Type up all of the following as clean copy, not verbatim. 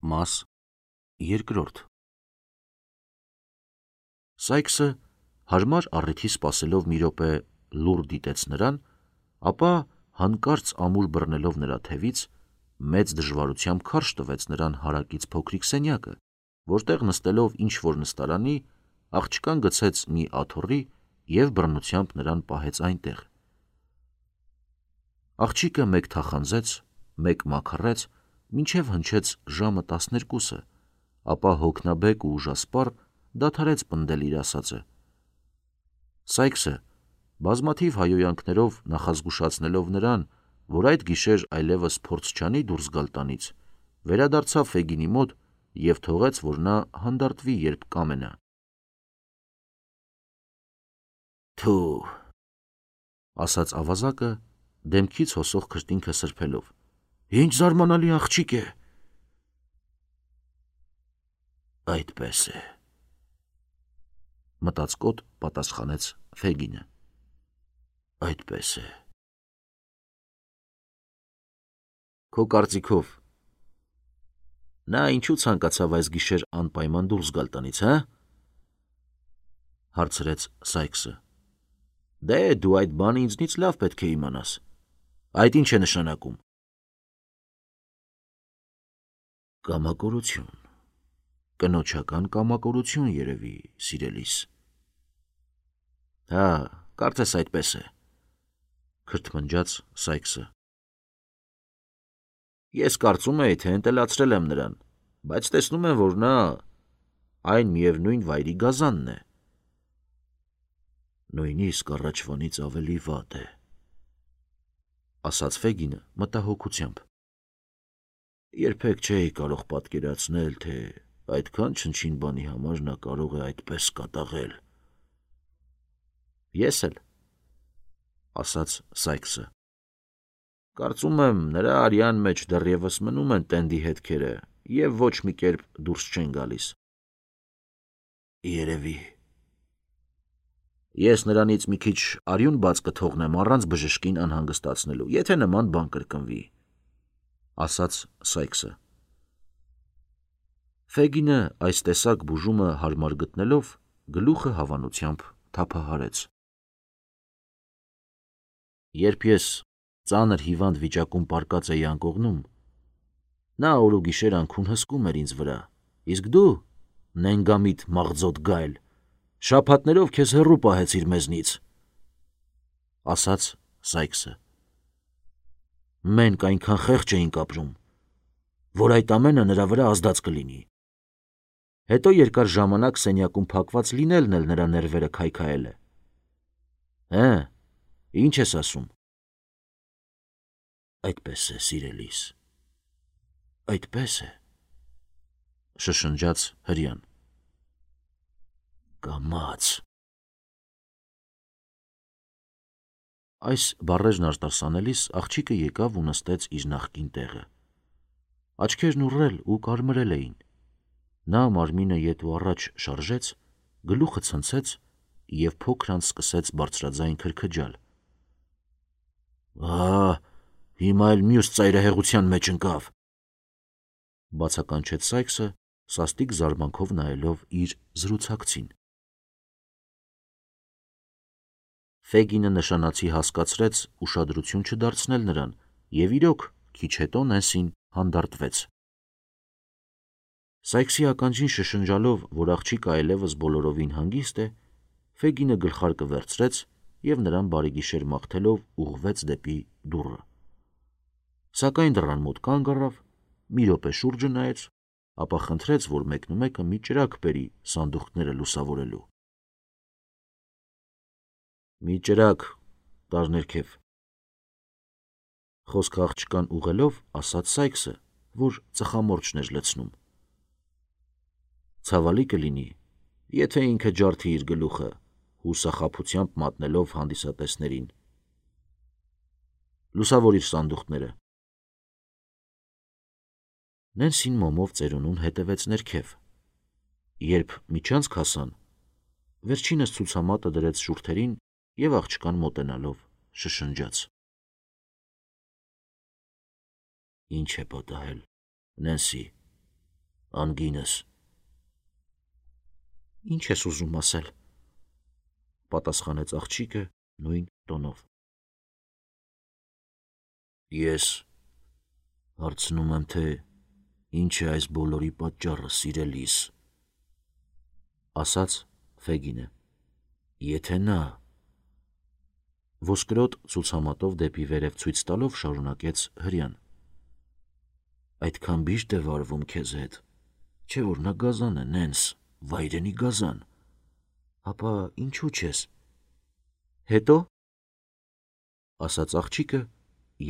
Մաս երկրորդ Սայքսը հարմար առիթի սպասելով մի րոպե լուռ դիտեց նրան, ապա հանկարծ ամուր բռնելով նրա թևից մեծ դժվարությամբ քարշ տվեց նրան հարակից փոքրիկ սենյակը, որտեղ նստելով ինչ-որ նստարանի, աղջկան գցեց մի աթոռի և բռնությամբ նրան պահեց այնտեղ։ Աղջիկը մեկ թախանձեց, մեկ մաքռեց, մինչև հնչեց ժամը 12-ը, ապա հոգնաբեկ ու ուժասպառ դադարեց պնդել իր ասածը։ Սայքսը բազմաթիվ հայհոյանքներով նախազգուշացնելով նրան, որ այդ գիշեր այլևս փորձ չանի դուրս գալ տանից, վերադարձավ Ֆեգինի մոտ և թողեց, որ նա հանդարտվի, երբ կամենա։ «Թու», ասաց ավազակը, դեմքից հոսող քրտինքը սրբելով, «Ինչ զարմանալի աղջիկ է»։ Այդպես է, մտածկոտ պատասխանեց Ֆեգինը, այդպես է։ Քո կարծիքով նա ինչու ցանկացավ այս գիշեր անպայման դուրս գալ տնից, հա? Հարցրեց Սայքսը։ Դե դու այդ բանը ինձնից լավ պետք է իմանաս։ Այդ ինչ է նշանակում։ Կամակորություն, կնոջական կամակորություն երևի, սիրելիս։ Հա, կարծես այդպես է, քրթմնջաց Սայքսը։ Ես կարծում էի, թե ընտելացրել եմ նրան, բայց տեսնում եմ, որ նա այն միևնույն վայրի գազանն է։ Նույնիսկ առաջվանից ավելի վատ է, ասաց Ֆեգինը մտահոգությամբ։ Երբեք չէի կարող պատկերացնել, թե այդքան չնչին բանի համար նա կարող է այդպես կատաղել։ Ես էլ, ասաց Սայքսը։ Կարծում եմ, նրա արյան մեջ դեռևս մնում են տենդի հետքերը և ոչ մի կերպ դուրս չեն գալիս։ Երևի։ Ես նրանից մի քիչ արյուն բաց կթողնեմ առանց բժշկին անհանգստացնելու, եթե նման բան կրկնվի, ասաց Սայքսը։ Ֆեգինը այս տեսակ բուժումը հարմար գտնելով, գլուխը հավանությամբ թափահարեց։ Երբ ես ծանր հիվանդ վիճակում պառկած էի անկողնում, նա օր ու գիշեր անքուն հսկում էր ինձ վրա, իսկ դու, նենգամիտ մաղձոտ գայլ, շաբաթներով քեզ հեռու պահեցիր մեզնից, ասաց Սայքսը։ Մենք այնքան խեղճ էինք ապրում, որ այդ ամենը նրա վրա ազդած կլինի։ Հետո երկար ժամանակ սենյակում փակված լինելն էլ նրա ներվերը քայքայել է։ Հը, ինչ ես ասում։ Այդպես է, սիրելիս, այդպես է, շշնջաց հրեան։ Կամաց։ Այս բառերն արտասանելիս աղջիկը եկավ ու նստեց իր նախկին տեղը։ Աչքերն ուռել ու կարմրել էին։ Նա մարմինը ետ ու առաջ շարժեց, գլուխը ցնցեց և փոքր-անց սկսեց բարձրաձայն քրքջալ։ Հիմա էլ մյուս ծայրահեղության մեջ ընկավ, բացականչեց Սայքսը, սաստիկ զարմանքով նայելով իր զրուցակցին։ Ֆեգինը նշանացի հասկացրեց ուշադրություն չդարձնել նրան և իրոք քիչ հետո Նենսին հանդարտվեց։ Սայքսի ականջին շշնջալով, որ աղջիկը այլևս բոլորովին հանգիստ է, Ֆեգինը գլխարկը վերցրեց և նրան բարեգիշեր մաղթելով ուղղվեց դեպի դուռը։ Սակայն դռան մոտ կանգ առավ, մի րոպե շուրջը նայեց, ապա խնդրեց, որ մեկնումեկը մի ճրագ բերի սանդուղքները լուսավորելու։ Մի ճրագ տար ներքև, խոսքը աղջկան ուղղելով, ասաց Սայքսը, որ ծխամորճն էր լցնում։ Ցավալի կլինի, եթե ինքը ջարդի իր գլուխը, հուսախաբությամբ մատնելով հանդիսատեսներին։ Լուսավորիր սանդուղքները։ Նենսին մոմով ծերունուն հետևեց ներքև։ Երբ միջանցք հասան, վերջինս ցուցամատը դրեց շուրթերին և աղջկան մոտենալով շշնջաց. Ինչ է պատահել, Նենսի, Անգինս։ Ինչ ես ուզում ասել, պատասխանեց աղջիկը նույն տոնով։ Ես հարցնում եմ, թե ինչ է այս բոլորի պատճառը, սիրելիս, ասաց Ֆեգինը։ Եթե նա ոսկրոտ ցուցամատով դեպի վերև ցույց տալով շարունակեց հրյան։ Այդքան բիշտ է վարվում քեզ հետ, չէ՞ որ նա գազան է, Նենս, վայրենի գազան։ Ապա ինչու չես։ Հետո, ասաց աղջիկը,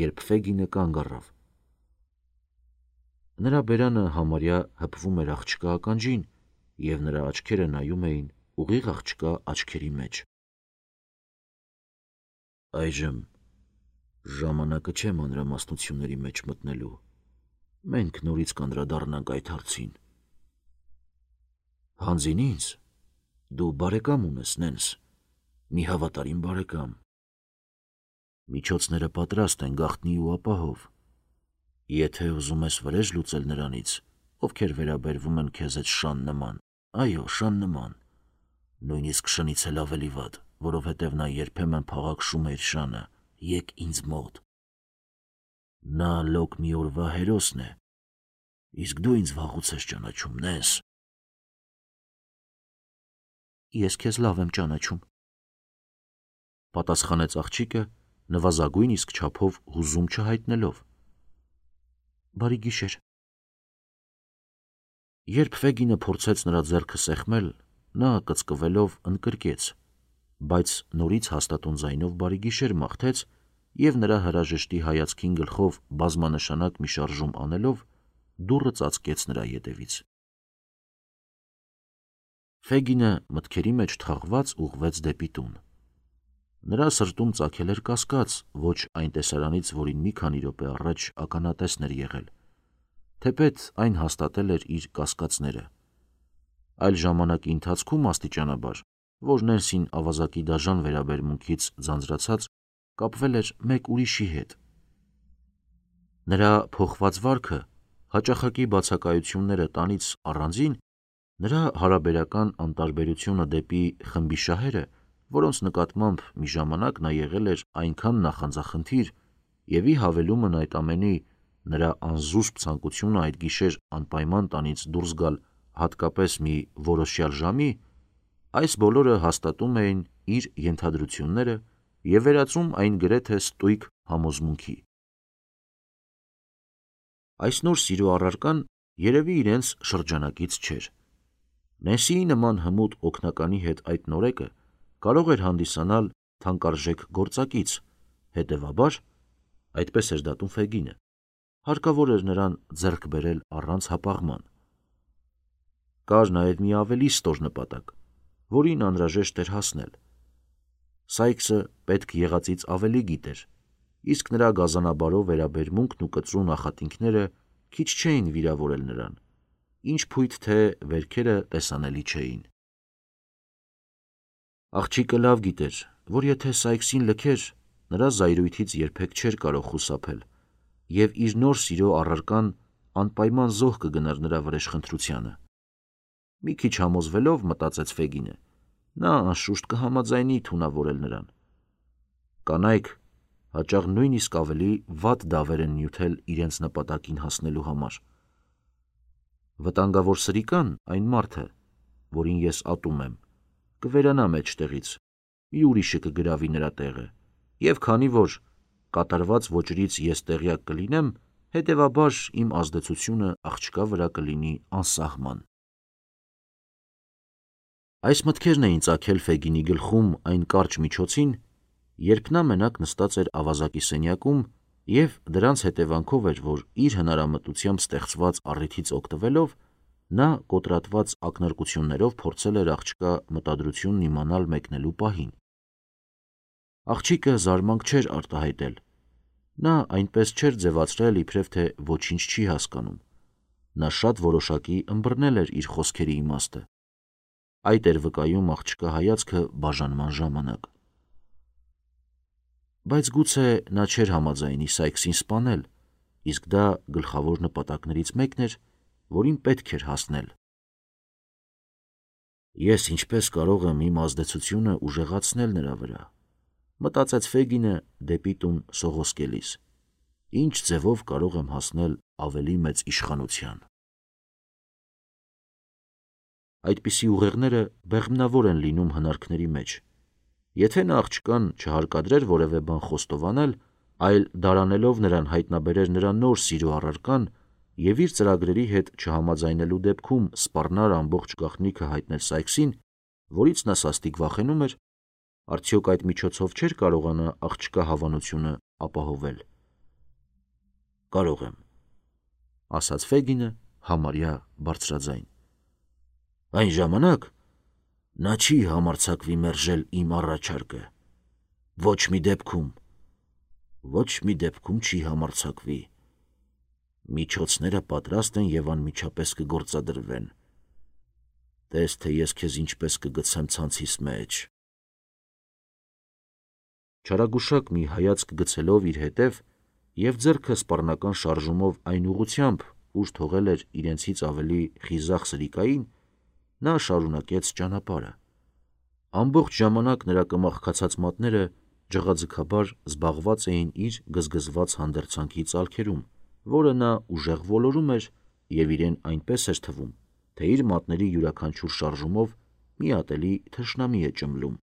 երբ Ֆեգինը կանգ առավ։ Նրա բերանը համարյա հպվում էր աղջկա ականջին, և նրա աչքերը նայում էին ուղիղ աղջկա աչքերի մեջ։ Այժմ ժամանակը չէ մանրամասնությունների մեջ մտնելու։ Մենք նորից կանդրադառնանք այդ հարցին։ Հանձին ինձ, դու բարեկամ ունես, Նենս, մի հավատարիմ բարեկամ։ Միջոցները պատրաստ են գաղտնի ու ապահով։ Եթե ուզում ես վրեժ լուծել նրանից, ովքեր վերաբերվում են քեզ հետ շան նման, այո, շան նման, նույնիսկ շնից էլ ավելի վատ, որովհետև նա երբեմն փաղաքշում է իր շանը, եկ ինձ մոտ։ Նա լոկ մի օրվա հերոսն է, իսկ դու ինձ վաղուց ես ճանաչում, Նենս։ Ես քեզ լավ եմ ճանաչում, պատասխանեց աղջիկը, նվազագույն իսկ չափով հուզում չհայտնելով։ Բարի գիշեր։ Երբ Ֆեգինը փորձեց նրա ձեռքը սեղմել, նա կծկվելով ընկրկեց, բայց նորից հաստատուն ձայնով բարի գիշեր մաղթեց և նրա հրաժեշտի հայացքին գլխով բազմանշանակ մի շարժում անելով դուռը ծածկեց նրա ետևից։ Ֆեգինը մտքերի մեջ թաղված ուղղվեց դեպի տուն։ Նրա սրտում ծագել էր կասկած, ոչ այն տեսարանից, որին մի քանի րոպե առաջ ականատեսն էր եղել, թեպետ այն հաստատել էր իր կասկածները։ Այլ ժամանակի ընթացքում աստիճանաբար, որ Նենսին ավազակի դաժան վերաբերմունքից ձանձրացած, կապվել էր մեկ ուրիշի հետ։ Նրա փոխված վարքը, հաճախակի բացակայությունները տանից առանձին, նրա հարաբերական անտարբերությունը դեպի խմբի շահերը, որոնց նկատմամբ մի ժամանակ նա եղել էր այնքան նախանձախնդիր, և ի հավելումն այդ ամենի նրա անզուսպ ցանկությունը այդ գիշեր անպայման տանից դուրս գալ հատկապես մի որոշյալ ժամի, այս բոլորը հաստատում էին իր ենթադրությունները և վերածում այն գրեթե ստույգ համոզմունքի։ Այս նոր սիրո առարկան երևի իրենց շրջանակից չէր։ Նենսիի նման հմուտ օգնականի հետ այդ նորեկը կարող էր հանդիսանալ թանկարժեք գործակից, հետևաբար, այդպես էր դատում Ֆեգինը, հարկավոր էր նրան ձեռք բերել առանց հապաղման։ Կար նաև մի ավելի ստոր նպատակ, որին անհրաժեշտ էր հասնել։ Սայքսը պետք եղածից ավելի գիտեր, իսկ նրա գազանաբարով վերաբերմունքն ու կծու նախատինքները քիչ չէին վիրավորել նրան, ինչ փույթ թե վերքերը տեսանելի չէին։ Աղջիկը լավ գիտեր, որ եթե Սայքսին լքեր, նրա զայրույթից երբեք չէր կարող խուսափել, և իր նոր սիրո առարկան անպայման զոհ կգնար նրա վրեժխնդրությանը։ Մի քիչ համոզվելով, մտածեց Ֆեգինը, նա անշուշտ կհամաձայնի թունավորել նրան։ Կանայք հաճախ նույնիսկ ավելի վատ դավեր են նյութել իրենց նպատակին հասնելու համար։ Վտանգավոր սրիկան, այն մարդը, որին ես ատում եմ, կվերանա մեջտեղից, մի ուրիշը կգրավի նրա տեղը, և քանի որ կատարված ոճրից ես տեղյակ կլինեմ, հետևաբար իմ ազդեցությունը աղջկա վրա կլինի անսահման։ Այս մտքերն էին ծագել Ֆեգինի գլխում այն կարճ միջոցին, երբ նա մենակ նստած էր ավազակի սենյակում և դրանց հետևանքով էր, որ իր հնարամտությամբ ստեղծված առիթից օգտվելով, նա կոտրատված ակնարկություններով փորձել էր աղջկա մտադրությունն իմանալ մեկնելու պահին։ Աղջիկը զարմանք չէր արտահայտել։ Նա այնպես չէր ձևացրել, իբրև թե ոչինչ չի հասկանում։ Նա շատ որոշակի ըմբռնել էր իր խոսքերի իմաստը։ Այդ էր վկայում աղջկա հայացքը բաժանման ժամանակ։ Բայց գուցե նա չէր համաձայնի Սայքսին սպանել, իսկ դա գլխավոր նպատակներից մեկն էր, որին պետք էր հասնել։ Ես ինչպես կարող եմ իմ ազդեցությունը ուժեղացնել նրա վրա, մտածեց Ֆեգինը դեպի տուն սողոսկելիս, ինչ ձևով կարող եմ հասնել ավելի մեծ իշխանության։ Այդպիսի ուղեղները բեղմնավոր են լինում հնարքների մեջ։ Եթե նա աղջկան չհարկադրեր որևէ բան խոստովանել, այլ դարանելով նրան հայտնաբերեր նրա նոր սիրո առարկան և իր ծրագրերի հետ չհամաձայնելու դեպքում սպառնար ամբողջ գաղտնիքը հայտնել Սայքսին, որից նա սաստիկ վախենում էր, արդյոք այդ միջոցով չէր կարողանա աղջկա հավանությունը ապահովել։ Կարող եմ, ասաց Ֆեգինը համարյա բարձրաձայն։ Այն ժամանակ նա չի համարձակվի մերժել իմ առաջարկը։ Ոչ մի դեպքում չի համարձակվի։ Միջոցները պատրաստ են և անմիջապես կգործադրվեն։ Տես, թե ես քեզ ինչպես կգցեմ ցանցիս մեջ։ Չարագուշակ մի հայացք գցելով իր հետև և ձեռքը սպառնական շարժումով այն ուղղությամբ, ուր թողել էր իրենցից ավելի խիզախ սրիկային, նա շարունակեց ճանապարհը։ Ամբողջ ժամանակ նրա կմախքացած մատները ջղաձգաբար զբաղված էին իր գզգզված հանդերձանքի ծալքերում, որը նա ուժեղ ոլորում էր և իրեն այնպես էր թվում, թե իր մատների յուրաքանչյուր շարժումով մի ատելի թշնամի է ճմլում։